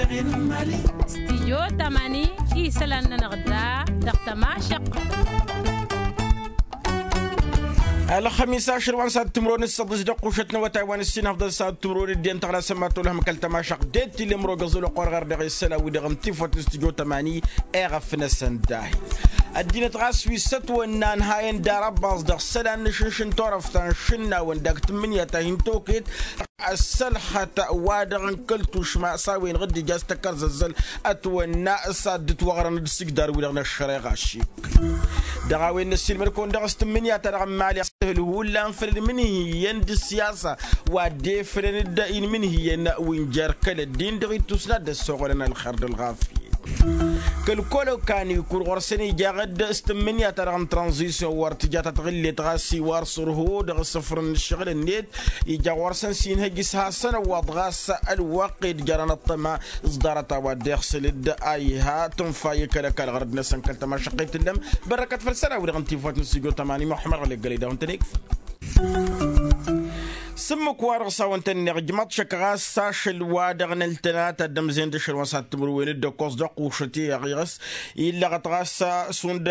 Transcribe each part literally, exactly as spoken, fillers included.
Stijyo tamani isălan-nănăɣ da dăɣ-tămašăqq. Ălxămis ašăl wa n-sad timro n-ǝssăḍǝs dăɣ-kušăt n-awătay wa n-ǝssin afḍăl sad timro n-ăddin tăɣla sămmat olăhăm kăl-tămašăqq d-tilǝmro găẓul ăqqor ɣar dăɣ-isălan wi-dăɣ n-tifăt n-stijyo tamani. Eɣăf-năsăn dahi ăddinăt ɣas wi s-ătwănna ănhayăn d-arăbbaẓ dăɣ-isălan n-ašǝnš n-turăft ta n-išǝnnawăn dak tǝmmǝnǝya ta hin-toket. Ăssălxăt wa-dăɣ n-kăl-tušma s-a-wen dăɣ-dd-ija s-tăkkărzăzzăl ătwănna s-ad-dd-ătwăɣrăn d-isǝjdar-wi-dăɣ n-ăššăreɣa šik. Dăɣ-a-wen n-ăssiilmăd-kăwăn dăɣ-s tǝmmǝnǝya-ta-dăɣ n-imali ăssihǝl hullan făll-ed imǝnhǝyăn d-ǝssiyasa wa dd-efrăn d-inmǝnhǝyăn wi n-jer-kăl-ăddin dăɣ-ittus n-ad-dd-ăssoɣălăn ălxer d-ălɣafyăt. Kăl-kăl-okani kur ɣur-săn ija-dd s-tǝmmǝnǝya-ta-dăɣ n-tranzisyon wăr tǝja ta tăɣǝllet ɣas iwar s-ărho dăɣ-asǝfrăn n-ǝššăɣǝl-net. Ija ɣur-săn s-inhăj s-hasăn-ăwwaḍ ɣas ălwăqq-i d-jărăn ăṭṭăma s-ḍarăt a-wa dd-iɣsǝl-dd a iha tǝnfa i-kăl-ăkall ɣărăd-năsăn kăl-tămašăqqet tǝllăm. Bărrăkăt făll-isălan-wi-dăɣ n-tifăt n-stujo tămani muḥămmăd ɣălleggălăy dăɣ-n tănegf. S-ǝmmǝk-wa-dăɣ s-a-wăn tănneɣ ǝjmăḍ šăkk ɣas ašăl-wa-dăɣ n-ăltăna ta dd-ămzen d-ašăl wa n-sad timǝrwen d-ăkkoẓ dăɣ-kušăt i-iɣăs. Illăɣăt ɣas šund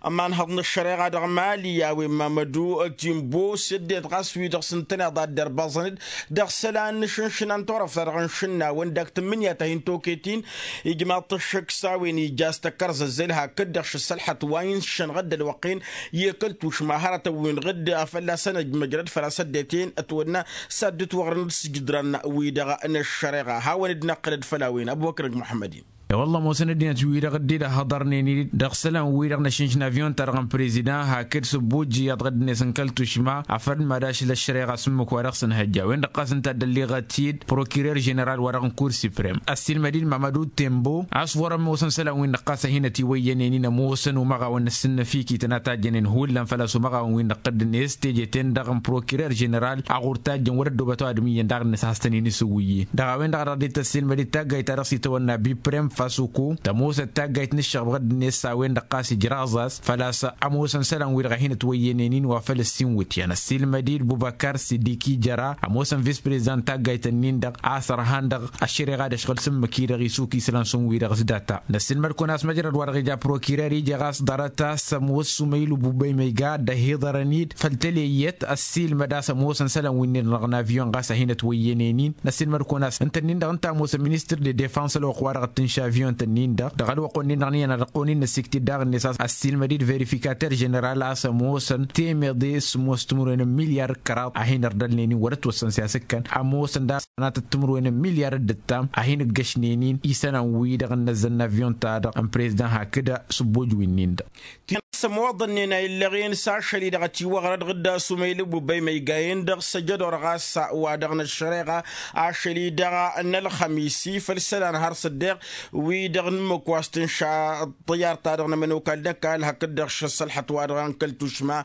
ămanhăḍ n-ăššăreɣa dăɣ-mali a-wen mamădu timbo s-ăddinăt ɣas wi-dăɣ s-ǝntăneḍ ad-dd-ărbăẓăn-dd dăɣ-isălan n-ašǝnšǝna n-turăft-ta-dăɣ n-išǝnnawăn dak tǝmmǝnǝya ta hin-toket-in. Ijmaḍ-t ăššăk s-a-wen ija s-tăkkărzăzzăl hakd-dăɣ šăssălxăt wa inšănɣăd d-ălwăqq-en i-kăl-tušma hărătăn wi n-ɣǝdd a fălla-săn ăjmăjrăd făl-a-s ăddinăt-en ătwănna s-ad-dd-ǝtwăɣrăn d-sǝjdărăn-wi-dăɣ n-ăššăreɣa hawăn-dd-năqqǝlăd făll-a-wen ăbubăkr ăgg muḥămmăd-in. E-wălla ămoosăn ăddinăt-wi-dăɣ dd-dd-ăhhăḍărnen-in dăɣ-isălan-wi-dăɣ n-ašǝnš n-avyon-ta-dăɣ n-prezidan hakd s-ăbbuj iyyăḍ ɣǝddǝnet n-kăl-tušma afăl mad-ašăl ăššăreɣa s-ǝmmǝk-wa-dăɣ s-ǝnhăjja a-wen-dăɣ ɣas ǝnta a dd-ălliɣăt-dd prokirer ženeral-wa-dăɣ n-kur siprem ăssiilmăd-dd mamădu tembo a-s wăr-ămoosăn isălan-win-dăɣ ɣas a hin-ătiwăyyănen-in ămoosăn umăɣawăn n-asǝnnăfikităn a tajjănen hullan făl-a-s umăɣawăn-win-dăɣ dd-net teje-ten-dăɣ n-prokirer ženeral a ɣur-tajjăn wăr-ăddoobăt ăwadǝm iyyăn daɣ-net a has-tăn-in-isǝwwǝyyen. Dăɣ-a-wen-dăɣ a dăɣ-dd-tăssiilmăd-dd taggayt-ta-dăɣ s-itawănna biprem fasuko tămoosăt taggayt n-ǝššăɣb ɣǝddǝnet s-a-wen-dăɣ ɣas ijraẓ-as făl-a-s ămoosăn isălan-wi-dăɣ a hin-ătwăyyănen-in wa făl ăssin wǝtyan ăssiilmăd-dd bubăkar sidiki jăra ămoosăn vis-prezidant taggayt-ǝnnin-dăɣ a-s ărhan dăɣ-ăššăreɣa d-ăšɣǝl s-ǝmmǝk-i-dăɣ isuk isălan s-un-wi-dăɣ s-data. Năssiilmăd-kăwăn a-s măjrăd-wa-dăɣ ija prokirer ija ɣas ḍarăt a-s ămoos sumaylu bubăy ma iga dd-ăhiḍărăn-dd făll-tăleyăt ăssiilmăd a-s ămoosăn isălan wi-nin-dăɣ n-avyon ɣas a hin-ătwăyyănen-in. Năssiilmăd-kăwăn a-s ǝnta-nin-dăɣ ǝnta a ămoosăn ministăr de defans ălwăqq-wa-dăɣ ǝttǝnš avyon-tăn-in-dăɣ dăɣ-ălwăqq-wen-nin-dăɣ n-iyyăn ad-ăqqonin n-ăsiktit daɣ-net a-s ăssiilmăd-dd verifikater ženeral a-s ămoosăn temeḍe s-ămoos timǝrwen n-milyar d-kăraḍ a hin-ărdălnen-in wăr-ătwăssăn s-i-asǝkkăn ămoosăn daɣ sănatăt timǝrwen n-milyar d-ǝttam a hin-ǝggăšnen-in isălan-wi-dăɣ ǝnnăzzăn n-avyon-ta-dăɣ n-prezdan hakd s-ăbbuj wi-nin-dăɣ. Ti-dăɣ s-ămoḍănnen a illăɣen s-ašăl-i-dăɣ ătiwăɣrăd ɣǝdda s-umăylǝw bubăy ma iga-en-dăɣ s-ăjădor ɣas wa-dăɣ n-ăššăreɣa ašăl-i-dăɣ n-ălxămis-i făll-isălan har s-ăddeɣ wi-dăɣ n-ǝmmǝk wa s-tǝnša ăṭṭăyyar-ta-dăɣ n-ămănokal n-ăkall hakd-dăɣ šăssălxăt wa-dăɣ n-kăl-tušma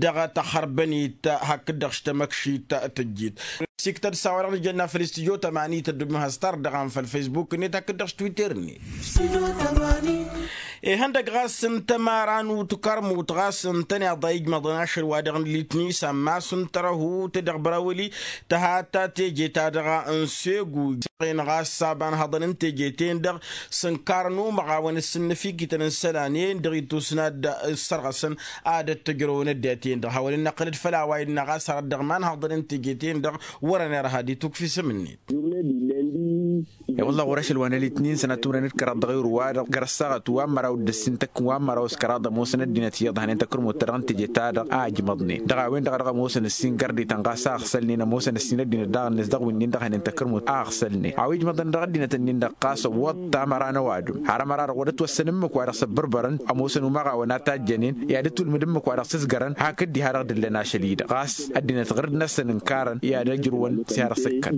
dăɣ-tăxărbănit hakd-dăɣ š-tamăkšit tǝjjit. Siktăd s-a-wa-dăɣ nǝjănna făll-studyo tămani tăddubăm has-tard dăɣ-an făll-facebook-net hakd-dăɣ š-twitter-net. Ihăndăg ɣas n-tămara n-utkărmut ɣas ǝntăneḍ a ijmăḍăn ašăl-wa-dăɣ n-litni s-ammas n-tărăhut dăɣ-bărawăli tăhata teje-ta-dăɣ n-segu. Ɣas s-abanhăḍăn n-teje-ten-dăɣ s-ǝnkarăn umăɣawăn ǝssǝnnăfikităn n-isălan-en dăɣ-itusna d-ăssărɣăsăn ad-ăttăjrăwăn ăddinăt-en-dăɣ hawăn-in-năqqǝlăd făll-a-wa innă ɣas hărăt dăɣ-imanhăḍăn n-teje-ten-dăɣ wărăn irha d-itukf isǝm-net. I-wălla ɣur-ašăl wa n-alitnin sănat timǝrwen d-kăraḍ dăɣ-ewru-wa-dăɣ găr-ăssaɣăt wa n-măraw d-ăssin tăkk wa n-măraw s-kăraḍ ămoosăn ăddinăt iyyăḍ hănen takărmut-ta-dăɣ n-teje-ta-dăɣ a ǝjmăḍnen dăɣ-a-wen-dăɣ a dăɣ-ămoosăn ǝssin gărdităn ɣas a ăɣsălnen ămoosăn ǝssin ăddinăt daɣ-net dăɣ-winnin-dăɣ hănen takărmut a ăɣsălnen a-wa ijmăḍăn dăɣ-ăddinăt-nin-dăɣ ɣas ăwwăḍ tamăra n-ăwadǝm har ămăra-dăɣ wăr-ătwăssăn ǝmmǝk wa dăɣ-s ăbbărbărăn ămoosăn umăɣawăn a tajjănen i-ad-ătwǝlmǝd ǝmmǝk wa dăɣ-s ǝzgărăn hakd diha dăɣ-dd-ǝllăn ašăl-i-dăɣ ɣas ăddinăt ɣur-dd-năsăn ǝnkarăn i-ad-ăjrǝwăn s-i har ăsǝkkăn.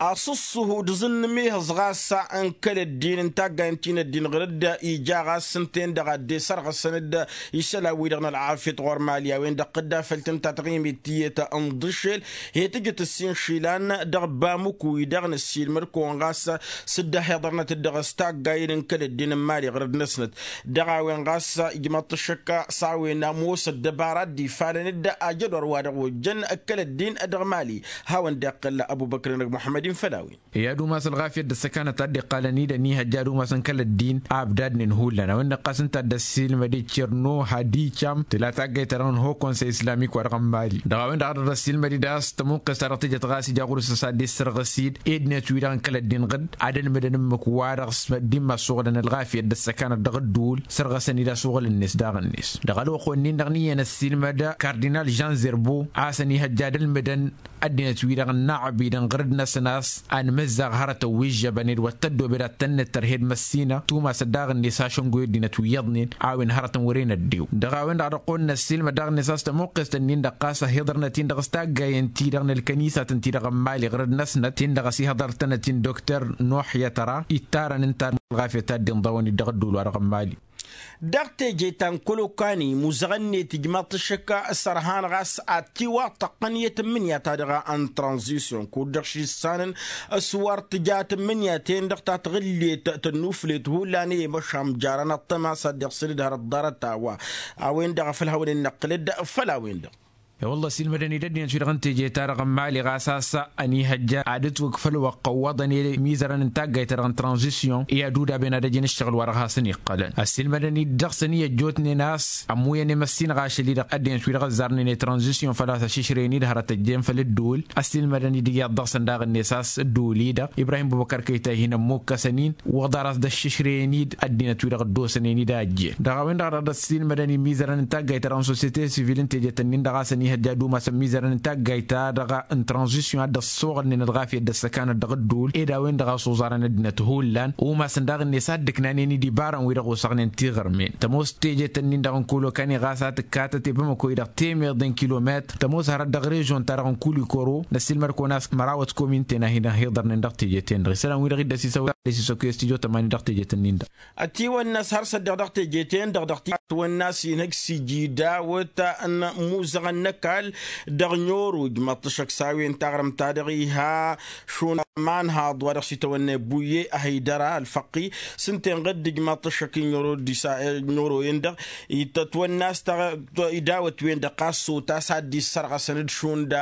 Aṣǝṣṣuhu d-aẓǝnnǝm ihǝẓ ɣas n-kăl-ăddin n-taggayăn ti n-ăddin ɣur-dd ija ɣas ǝnta-en-dăɣ a dd-esărɣǝsăn-dd isălan-wi-dăɣ n-ălɣafyăt ɣur-mali a-wen-dăɣ tǝdda făll-tǝnta taɣimit tiyyăt n-iḍǝššel. He tǝjǝt ǝssin išilan dăɣ-bamuk-wi-dăɣ năssiilmăd-kăwăn ɣas s-dd-ăhiḍărnăt-dd dăɣ-s taggayăn n-kăl-ăddin n-mali ɣur-dd-năsnăt dăɣ-a-wen ɣas ijmăḍ-t ăššăk s-a-wen ămoos ăddăbara dd-ifalăn-dd ajădor wa dăɣ-ojjăn kăl-ăddin dăɣ-mali. Hawăn-dd-iqqǝl. Ăbubăkrăn d-muḥămmăd-in făll-a-wen. I-ad-umas ălɣafyăt d-ăssăkanăt a dd-iqqalăn-i d-ănihăjja ad-umasăn kăl-ăddin a ăbdadnen hullan a-wen-dăɣ ɣas ǝnta a dd-ăssiilmăd i-černo hadi cam tǝla taggayt-ta-dăɣ n-ho konsăy islamik-wa-dăɣ n-mali. Dăɣ-a-wen-dăɣ a dd-ăssiilmăd-dd a-s tămuqqes-ta-dăɣ tǝjăt ɣas ija ɣur-s a-s ad-dd-issărɣǝs-dd ed-net wi-dăɣ n-kăl-ăddin ɣǝd ad-ălmǝdăn ǝmmǝk-wa-dăɣ s-ăddin ma ăssuɣǝlăn ălɣafyăt d-ăssăkanăt dăɣ-ădduul sărɣăsăn-dd a-s uɣǝl-net daɣ-net. Dăɣ-ălwăqq-wen-in-dăɣ n-iyyăn ăssiilmăd kardinal žan zerbo a-s ănihăjja ad-ălmǝdăn ăddinăt-wi-dăɣ ănnaɣbidăn ɣǝrǝd-năsăn a-s anmǝzzaɣ hărătăn wi ǝžžăbăn ed wăr tăddobed ad-tăn-nǝttăr hed măssinăɣ tumasăt daɣ-net ašăngoy ăddinăt wi iyyăḍnen a-wen hărătăn wăren ăddew. Dăɣ-a-wen-dăɣ dăɣ-kăwăn-năssiilmăd daɣ-net a-s tămuqqest-nin-dăɣ ɣas ahhiḍărnăt-in-dăɣ s-taggayăn-ti-dăɣ n-ălkănisatăn-ti-dăɣ n-mali ɣǝrǝd-năsnăt-tin-dăɣ ăsihăḍărtănăt-in dokter nuḥ yătăra ittarăn ǝnta ălɣafyăt a dd-inḍawăn-dd dăɣ-ădduul-wa-dăɣ n-mali. Dăɣ-teje ta n-kălokani imuzăɣăn-net ijmaḍ-t ăššăk s-ărhan ɣas ad-tiwaṭṭăqqăn i-tǝmmǝnǝya-ta-dăɣ n-tranzisyon kud-dăɣ šissanăn s-wăr tǝja tǝmmǝnǝya-ten-dăɣ ta tăɣǝllet tănnuflet hullan i-măšan jarăn ăṭṭăma s-ad-dd-iɣsǝl d-hărăt ḍarăt a-wa. A-wen-dăɣ a făl hawăn-in-năqqǝlăd făll-a-wen-dăɣ. E-wălla ăssiilmădăn-dd ăddinăt-wi-dăɣ n-teje-ta-dăɣ n-mali ɣas a-s ănihăjja ad-ǝtwǝkfăl wăqq ăwwăḍăn i-imizărăn n-taggayt-ta-dăɣ n-tranzisyon i-ad-udaben ad-ăjǝn ǝššăɣǝl-wa-dăɣ hasăn-iqqălăn ăssiilmădăn-dd dăɣ-săn i-ăjjootnen a-s ămmuyăn i-măssinăɣ ašăl-i-dăɣ ăddinăt-wi-dăɣ ăzzarnen i-tranzisyon făl-a-s ašǝšrăyăn-dd hărăt ăjjeen făll-ǝddǝwǝl. Ăssiilmădăn-dd iyyăḍ dăɣ-săn daɣ-net a-s ǝddǝwǝl-i-dăɣ ibrahim bubăkăr kăyta hin-ămmukkăsăn-in wăḍar a-s dd-ăššǝšrăyăn-dd ăddinăt-wi-dăɣ ăddoosănen-dd a ăjjeen. Dăɣ-a-wen-dăɣ a dăɣ-dd-ăssiilmădăn imizărăn n-taggayt-ta-dăɣ n-sosyete sivil n-tejet-ǝnnin-dăɣ a-s ănihăjja ad-umasăn imizărăn n-taggayt-ta-dăɣ n-tranzisyon a dd-ăssoɣălnen ălɣafyăt d-ăssăkanăt dăɣ-ădduul ed a-wen-dăɣ a s-oẓarăn ăddinăt hullan. Umasăn daɣ-net a dd-ǝknanen-dd ibarăn-wi-dăɣ osăɣnen tiɣărmen tămoos tejet-ǝnnin-dăɣ n-kăwăl okani ɣas a tǝkkatăt i-bamăko-i-dăɣ temeḍe n-kilometr tămoos hărăt dăɣ-režyon-ta-dăɣ n-kulikoro. Năssiilmăd-kăwăn a-s mărawăt kominten a hin-ăhiḍărnen dăɣ-tejet-en-dăɣ isălan-wi-dăɣ dd-ăsisăwăl a dd-ăsisăwăl i-stujo tămani dăɣ-tejet-ǝnnin-dăɣ. Ătiwănnas har s-ăddeɣ dăɣ-teje-ten-dăɣ dăɣ-ti ătwănnas inhăj s-ijidawăt n-imuzăɣăn n-ăkall dăɣ-ɲoro ijmăḍ-t ăššăk s-a-wen taɣrǝmt-ta-dăɣ iha šund manhaḍ wa dăɣ-s itawănna i-buye ăhăydăra ălfăqqi s-ǝnta inɣăd ijmăḍ-t ăššăk i-ɲoro-en-dăɣ. Itătwănnas idawăt-wen-dăɣ ɣas s-otas ad-dd-issărɣăsăn d-šund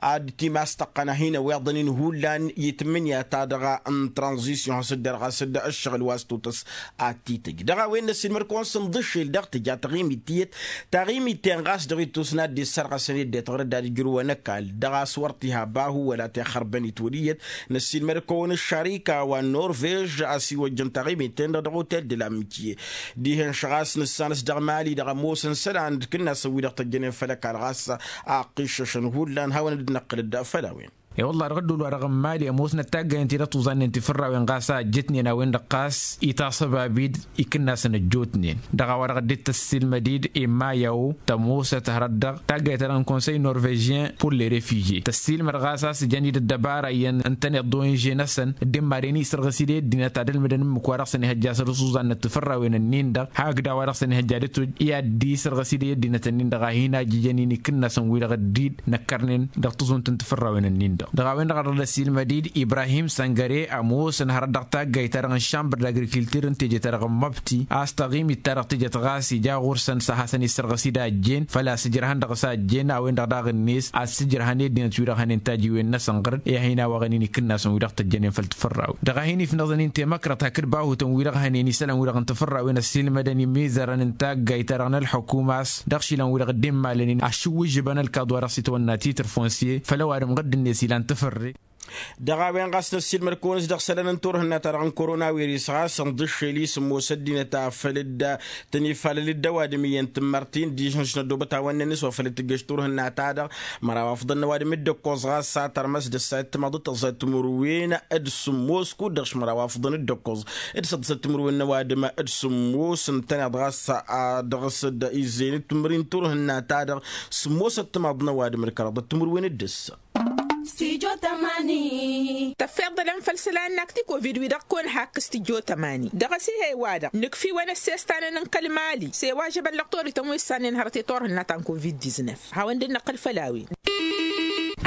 ad-timastăqqăn a hin-ăweḍăn-in hullan i-tǝmmǝnǝya-ta-dăɣ n-tranzisyon has-dd-ărɣas d-ǝššăɣǝl wa s-totăs ad-t-tǝj dăɣ-a-wen n-ăssiilmăd-kăwăn s-inḍǝššel dăɣ-tǝja taɣimit tiyyăt. Taɣimit-ten ɣas dăɣ-ittus n-ad-dd-issărɣăsăn i-ăddinăt ɣur-dd ad-ǝjrǝwăn ăkall dăɣ-a-s wăr t-iha bahu wăla tixărbăn itwăl iyyăt. Năssiilmăd-kăwăn ăššarika wa n-norvež a-s iwăjjăn taɣimit-ten-dăɣ dăɣ-otel de la amitiye. Dihen-š ɣas nǝssan-s dăɣ-mali-dăɣ ămoosăn isălan d-ikǝnnasăn-wi-dăɣ tăjjănen făll-ăkall ɣas a ăqqiššăšăn hullan hawăn-dd-năqqǝl-dd făll-a-wen. E-wălla-ɣ dăɣ-ădduul-wa-dăɣ n-mali ămoosnăt taggayăn-ti dăɣ-tuẓannen tifărrawen ɣas a ăjjătnen a-wen-dăɣ ɣas itaṣăbab-dd ikǝnnasăn ăjjootnen. Dăɣ-a-wa-dăɣ dd-tăssiilmăd-dd emmayawo tămoosăt hărăt dăɣ-taggayt-ta-dăɣ n-konsăy norvežyen pur le refužye tăssiilmăd ɣas a-s ǝjăn-dd ăddăbara iyyăn ǝntăneḍ d-onže-năsăn dd-immaden isărɣǝs-dd i-ăddinăt ad-ălmǝdăn ǝmmǝk-wa-dăɣ s-ănihăjja a săr-s uẓannăt tifărrawen-ǝnnin-dăɣ hakd a-wa-dăɣ s-ănihăjja ad-dd-toj i-ad-dd-isărɣǝs-dd i-ăddinăt-ǝnnin-dăɣ a hin-ajjǝjăn-in ikǝnnasăn-wi-dăɣ dd-năkkărnen dăɣ-tǝẓunt n-tifărrawen-ǝnnin-dăɣ. Dăɣ-a-wen-dăɣ a dăɣ-dd-ăssiilmăd-dd ibrahim săngăre ămoosăn hărăt dăɣ-taggayt-ta-dăɣ n-šambăr d-agrikiltir n-teje-ta-dăɣ n-măbti a-s taɣimit-ta-dăɣ tǝjăt ɣas ija ɣur-săn s-ad-hasăn-issărɣǝs-dd a ăjjeen făl-a-s ǝjrăhăn dăɣ-s a ăjjeen a-wen-dăɣ daɣ-net a-s ǝjrăhăn i-ăddinăt-wi-dăɣ hănen tajiwen-năsăn ɣǝr-dd i-ad-hin-awăɣăn-in ikǝnnasăn-wi-dăɣ tăjjănen făll-tifărrawen. Dăɣ-a hin-ifnăẓăn-in temăkrăt hakd bahutăn-wi-dăɣ hănen isălan-wi-dăɣ n-tifărrawen ăssiilmădăn imizărăn n-taggayt-ta-dăɣ n-ălḥukuma a-s dăɣ-išilan-wi-dăɣ dd-immalăn-in ašǝwwǝžžǝbăn ălkaḍ wa dăɣ-s itwănna titre foncier făll-ăwadǝm ɣǝdd-net ilan tǝfărre. Dăɣ-a-wen ɣas năssiilmăd-kăwăn-s dăɣ-isălan n-turhǝnna-ta-dăɣ n-korona wiris ɣas ǝnḍǝššel-i sǝmmos ăddinăt a făl dd-tăn-ifalăl-dd ăwadǝm iyyăn tǝmmărtin dižăn s-năddobăt hawăn-nănnis wa făl dd-tǝjjăš turhǝnna-ta-dăɣ. Măraw afḍăn n-ăwadǝm d-ǝkkoẓ ɣas s-ad-tărmăs d-ăssayăt timaḍăt tăẓẓayăt timǝrwen d-sǝmmos kud-dăɣ-š măraw afḍăn d-ǝkkoẓ d-săḍsăt timǝrwen n-ăwadǝm d-sǝmmos ǝntăneḍ ɣas a dăɣ-s dd-izzenăt timǝrwen n-turhǝnna-ta-dăɣ. Sǝmmosăt timaḍ n-ăwadǝm d-kăraḍăt timǝrwen d-ǝssa. Tăffeḍălăn făll-isălan n-akti covid-wi-dăɣ kăwăn-hakk s-tijjo tămani dăɣ-asihăy-wa-dăɣ nǝkf'-iwăn ăssestan n-kăl-mali s-e-wa žăbăn lăqtorităn wi ǝssannen hărăt i-turhǝnna ta n-covid-diznăf. Hawăn-dd-năqqǝl făll-a-wen.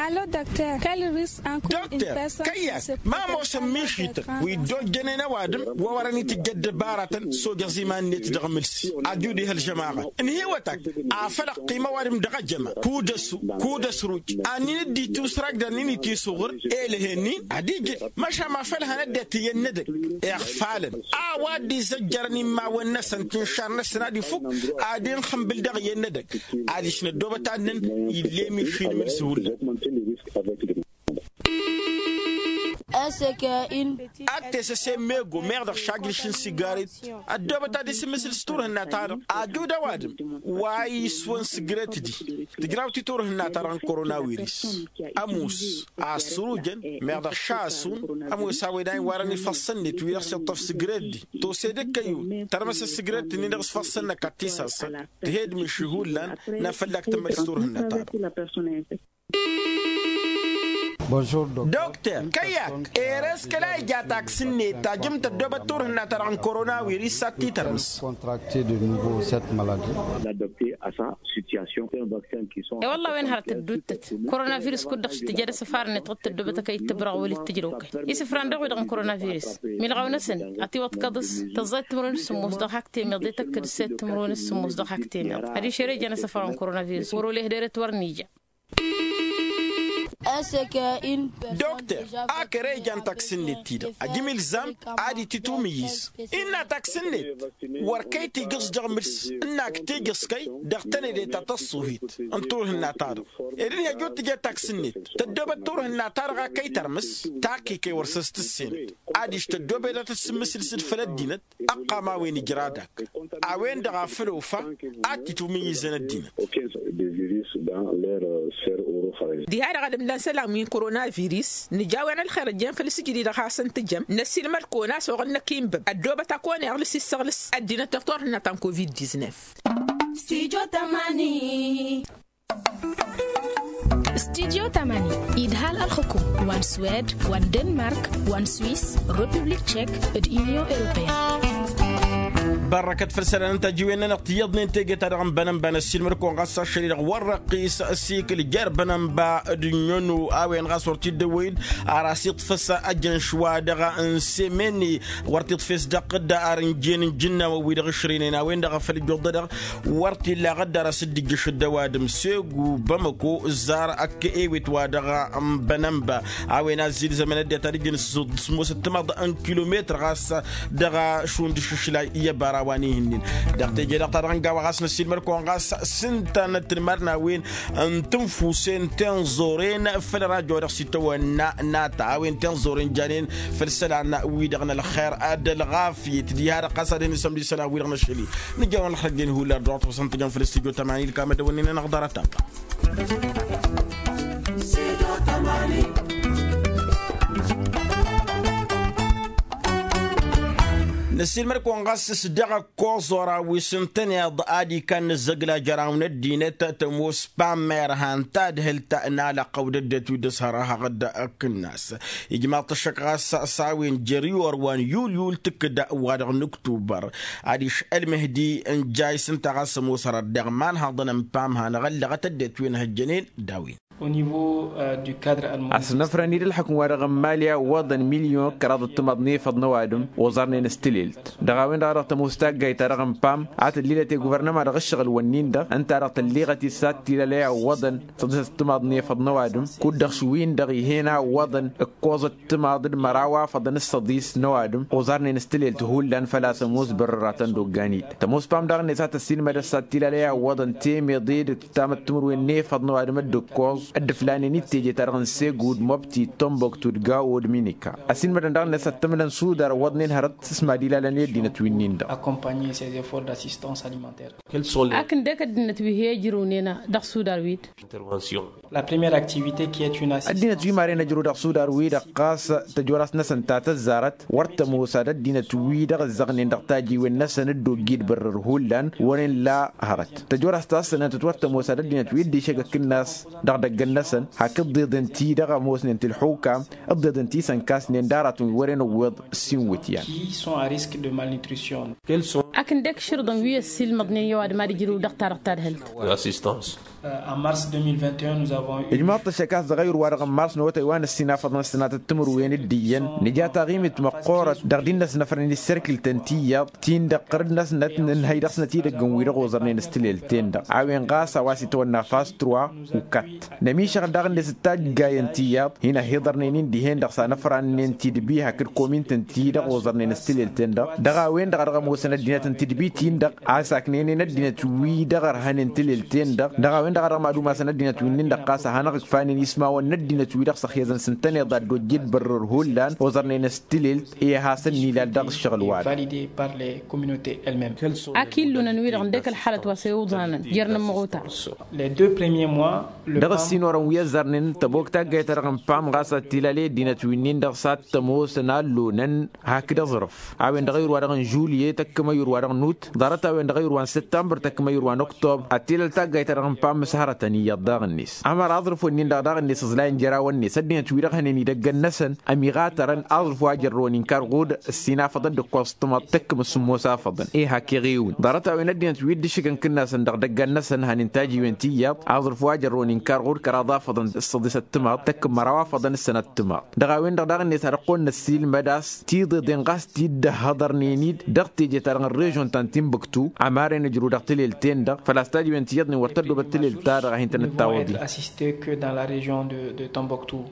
Alo dăkter kăl-risq ănkăwăn-in. Dăkter kăyy-ak ma ămoosăn mišităn wi dd-ojjănen ăwadǝm wa wărăn itǝjj ăddăbaratăn s-ojăẓ iman-net dăɣ-imǝlsi. Ad-iwǝd iha ălžămaɣăt ǝnhǝywăt-ak afăl ăqqim ăwadǝm dăɣ-ejăma kud-ăsu kud-ăsruj. Annin-dd-itusrag d-annin-itisǝɣǝr elăhen-in ad-ijǝd măšan afăl hăn ăddinăt iyyăn n-edăgg iɣfalăn a-wa dd-izăjjărăn immawăn-năsăn tǝnšar-năsăn ad-ifuk ad-inxǝmbǝl dăɣ-iyyăn n-edăgg. Adiš năddoobăt ad-năn ill'-e mišin imǝlsi hullan. Ad-tesăse mego meɣ dăɣ-šajrǝš n-sigaret ăddoobăt ad-isǝmmǝsǝl s-turhǝnna-ta-dăɣ ajud ăwadǝm wa iswăn sǝgret-di. Tǝjraw-t i-turhǝnna-ta-dăɣ n-korona wiris ămoos a ăssărujăn meɣ dăɣ-šasun ămoos a-wen a iwarăn ifăssăn-net wi-dăɣ s-iṭṭăf sǝgret-di. Tose d-kăyyu tărmăs ăssǝgret-nin-dăɣ s-ifăssăn-năk ad-t-isasăn tǝhed miši hullan n-afăllak tǝmmăl s-turhǝnna-ta-dăɣ. Dăkter kăyy-ak ere s-kăla ija taksǝnnet tajǝm tăddoobăt turhǝnna-ta-dăɣ n-korona wiris s-ad-t-tărmǝs. E-wălla a-wen hărăt ădduuttăt korona virus kud-dăɣ s-tǝja d-asǝfar-net dăɣ-tăddoobăt a kăy-dd-tǝbrăɣ wăla ittǝjrăw kăy isǝfran dăɣ-wi-dăɣ n-korona virus milɣaw-năsăn ad-t-iwăḍkăḍ s-tăẓẓayăt timǝrwen s-sǝmmos dăɣ-hak temeḍ i-tăkkăd s-e timǝrwen s-sǝmmos dăɣ-hak temeḍ. Adiš ere jan asăfar n-korona virus wăr-oleh deret wăr-nija. Dăkter ak ere ijan taksǝnnet-ti-dăɣ ajǝm ilzam ad-itǝtwǝmǝyyǝz. Innă taksǝnnet wăr kăy-tigǝẓ dăɣ-imǝls ǝnnak tigǝẓ kăy dăɣ-tănedet ta tăṣṣuhit n-turhǝnna-ta-dăɣ. Ed ǝnhăj wăr tǝjed taksǝnnet tăddoobăt turhǝnna-ta-dăɣ a kăy-tărmǝs. Takk-i kăy wăr săs-tǝssenăt adiš tăddoobăt ad-tăt-sǝmmǝsǝl s-dd făll-ăddinăt. Ăqqam a-wen ijra dak a-wen-dăɣ a făl ofa ad-t-itwǝmǝyyǝzăn ăddinăt. Diha-dăɣ ad-ǝmlan isălan wi n-korona virus nǝja a-wen ălxer ăjjeen făll-sǝjdǝy dăɣ-hasăn-tǝjăm năssiilmăd-kăwăn a-s oɣăl năkk inbăb ăddoobăt a kăwăn-iɣlǝs issăɣlǝs ăddinăt dăɣ-turhǝnna ta n-covid-diznef. Studio tamani. Studio tamani idhal ălxǝkum wa n-swed wa n-denmark wa n-swis republik tchek d-union europeen. Bărrăkăt făll-isălan n-tajiwen-nănăɣ tiyyăḍnen teje-ta-dăɣ n-bănănba năssiilmăd-kăwăn ɣas ašăl-i-dăɣ wăr răqqis ăsikǝl jer-bănănba d-ǝnnyănu a-wen ɣas wăr t-dd-ăwwăy-dd ar asiḍfăs ajăn šwa dăɣ-n semeni. Wăr t-iḍfes dăɣ-tădda ar ǝnjen n-ijǝnnawăn-wi-dăɣ ǝšrǝynen a-wen-dăɣ a făl ǝjjuḍădăɣ wăr t-illa aɣădda ar asǝddǝjjǝšăd d-ăwadǝm segu bamăko ǝzzar ăkk ewet wa dăɣ-n bănănba. A-wen a ăzzilzămăn ăddinăt ad-ǝjǝn s-ămoosăt timaḍ n-kilometăr ɣas dăɣ-ašund išǝšlay i-ăbara wa n-ihǝnnin. Dăɣ-teje-dăɣ ta dăɣ-n gawa ɣas năssiilmăd-kăwăn ɣas s-ǝnta n-ăttǝnmar n-a-wen n-tǝnfusen tenẓoren făll-rajo dăɣ-s itawănna n-ata a-wen tenẓoren janen făll-isălan-wi-dăɣ n-ălxer d-ălɣafyăt diha-dăɣ ɣas ad-hin-isămd isălan-wi-dăɣ n-ašăl-i. Nǝjawăn ălxăjjen hullan dor-tăsăn tǝjăn făll-stujo tămani d-kamădăwăn-in-anăɣ ḍarăt-a-wa. Năssiilmăd-kăwăn ɣas s-dăɣ-ăkkoẓ ora wi s-ǝntăneḍ ad-ikan n-ǝzzăgla jăraw n-ăddinăt tămoos pammer han tadhǝlt n-alăqqăw d-ăddinăt wi dd-ăshărăhăɣ d-ăkk ǝnnas. Ijmaḍ-t ăššăk ɣas s-a-wen jer-iwăr wa n-yulyul tǝkkǝd wa-dăɣ n-ǝktubăr. Adiš ălmǝhdi n-jay s-ǝnta ɣas ămoos hărăt dăɣ-iman haḍăn n-pam hanăɣ-ăllăɣăt ăddinăt wi n-hăjjănen. D-a-wen. Asnăfrăn-dd ǝlxǝkǝm wa dăɣ-n mali a ǝwwăḍăn milyon kăraḍ d-timaḍ n-efăḍ n-ăwadǝm oẓarnen s-tǝlelt dăɣ-a-wen-dăɣ a dăɣ-tămoos taggayt-ta-dăɣ n-pam a tǝllilăt i-guvărnăma dăɣ-ǝššăɣǝl-wǝnnin-dăɣ ǝnta-dăɣ tǝlliɣăt-dd s-ad-t-ilalăy a ǝwwăḍăn săḍisăt d-timaḍ n-efăḍ n-ăwadǝm kud-dăɣ šwin-dăɣ ih'-en a ǝwwăḍăn ǝkkoẓăt timaḍ d-măraw a făḍăn s-săḍis n-ăwadǝm oẓarnen s-tǝlelt hullan făl-a-s ămoos bărrăratăn d-oggan-dd tămoos pam daɣ-net a tăssiilmădăt s-ad-t-ilalăy a ǝwwăḍăn temeḍe d-tamăttumǝrwen n-efăḍ n-ăwadǝm d-ǝkkoẓ d-ǝflanen i-teje-ta-dăɣ n-segud mobti tomboktu d-gawo d-minika. Ăsiilmădăn daɣ-net ad-t-ǝmlăn sudar ǝwwăḍnen hărăt s-mad-ilalăn i-ăddinăt winnin-dăɣ. Accompagner ces efforts d'assistance alimentaire. Akǝndek ăddinăt wi he-ijrǝwnen dăɣ-sudar wi-dd. La première activité qui est une assistance. Ăddinăt wi maren ăjrǝw dăɣ-sudar-wi-dăɣ ɣas tăjorast-năsăn ta tăzzarăt wăr tămoos ad-ăddinăt-wi-dăɣ ǝzzăɣnen dăɣ-tajiwen-năsăn dd-ojji d-bărrăr hullan wăren la hărăt tăjorast ta s-sănăntăt wăr tămoos ad-ăddinăt wi dd-išăgg ăkk ǝnnas dăɣ-idăggăn-năsăn hak ǝḍḍeḍăn-ti-dăɣ ămoosnen ti ǝlxukam ǝḍḍeḍăn ti s-ănkasnen d-aratăn wi wăren ǝwweḍ s-inwǝtyan. Qui sont à risque de malnutrition. Akǝndek išǝrǝḍăn wi ăssiilmăḍnen i-ăwadǝm ad-ijrǝw dăɣ-ta-dăɣ tadhǝlt. Assistance. Ămars deux mille vingt et un. Ǝjmaḍ-t ăššăk a-s dăɣ-ayǝr-wa-dăɣ n-mars n-awătay wa n-ăssinafăḍăn ăssănatăt timǝrwen d-iyyăn nǝja taɣimit măqqoorăt dăɣ-dd-innăs năfrăn isserkǝl-tăn tiyyăḍ ti-in-dăɣ ɣǝr-dd-năsnăt nǝnhăy dăɣ-snăt idăgg n-wi-dăɣ oẓărnen s-tilelt-ten-dăɣ a-wen ɣas a-wa s-itwănna fas trois u-kat. Nămišăɣ daɣ-net d-taggayăn tiyyăḍ hin-ăhhiḍărnen-in dihen-dăɣ s-anăfrannen tidbi hakd komintăn ti-dăɣ oẓărnen s-tilelt-en-dăɣ dăɣ-a-wen-dăɣ a dăɣ-ămoosăn ăddinăt n-tidbi-tin-dăɣ a saknenen ăddinăt wi-dăɣ ărhănen tilelt-en-dăɣ dăɣ-a-wen-dăɣ a dăɣ-mad-umasăn ăddinăt wi-nin-dăɣ ɣas a hanăɣ-ǝkfanen ismawăn n-ăddinăt wi-dăɣ s-ăxyăzăn s-ǝntăneḍ ad-dd-ojjed bărrăr hullan oẓărnen s-tilelt i-ad-hasăn-nilal dăɣ-ǝššăɣǝl-wa-dăɣ. Ak illunăn-wi-dăɣ ǝndek ălxalăt wa s-e-uḍanăn jer-inǝmmăɣ otar. Dăɣ-ăssinorăn wi ăzzarnen tăbok taggayt-ta-dăɣ n-pam ɣas ad-t-ilal i-ăddinăt wi-nin-dăɣ s-ad-t-ămoosăn allonăn hakd aẓrǝf a-wen-dăɣ ayǝr-wa-dăɣ n-žulye tăkkăm ayǝr-wa-dăɣ n-ut ḍarăt a-wen-dăɣ ayǝr-wa n-săttămbăr tăkkăm ayǝr-wa n-oktobăr ad-t-ilal taggayt-ta-dăɣ n-pam s-hărătăn iyyăḍ daɣ-net ămăra aẓrǝf-wen-in-dăɣ daɣ-net ǝẓlayăn jer-awăn-net ăddinăt-wi-dăɣ hănen idăgg-năsăn ămiɣatărăn aẓrǝf wa jărrăwăn inkar ɣud ăssinafăḍ-dd ǝkkoẓ tǝmăḍ tăkkăm s-sǝmmos afăḍăn i-hak iɣiwǝn ḍarăt-a-wen ăddinăt wi dd-ǝššǝkăn kǝnnasăn dăɣ-idăggan-năsăn hănen tajiwen tiyyăḍ aẓrǝf wa jărrăwăn inkar ɣud kăraḍ afăḍăn s-săḍisăt tǝmăḍ tăkkăm măraw afăḍăn s-sănăt tǝmăḍ. Dăɣ-a-wen-dăɣ daɣ-net ad-ăqqoyăn năssiilmăd a-s tiḍeḍen ɣas t-dd-ăhhăḍărnen-dd dăɣ-teje-ta-dăɣ n-režion ta n-tinbǝktu ămarăn ǝjrǝw dăɣ-tilelt-en-dăɣ făl-a-s tajiwen tiyyăḍnen wăr tăddobăt tilelt-ta-dăɣ a hin-tăn-dd-tawăḍi. Assisté que dans la région de de Tombouctou.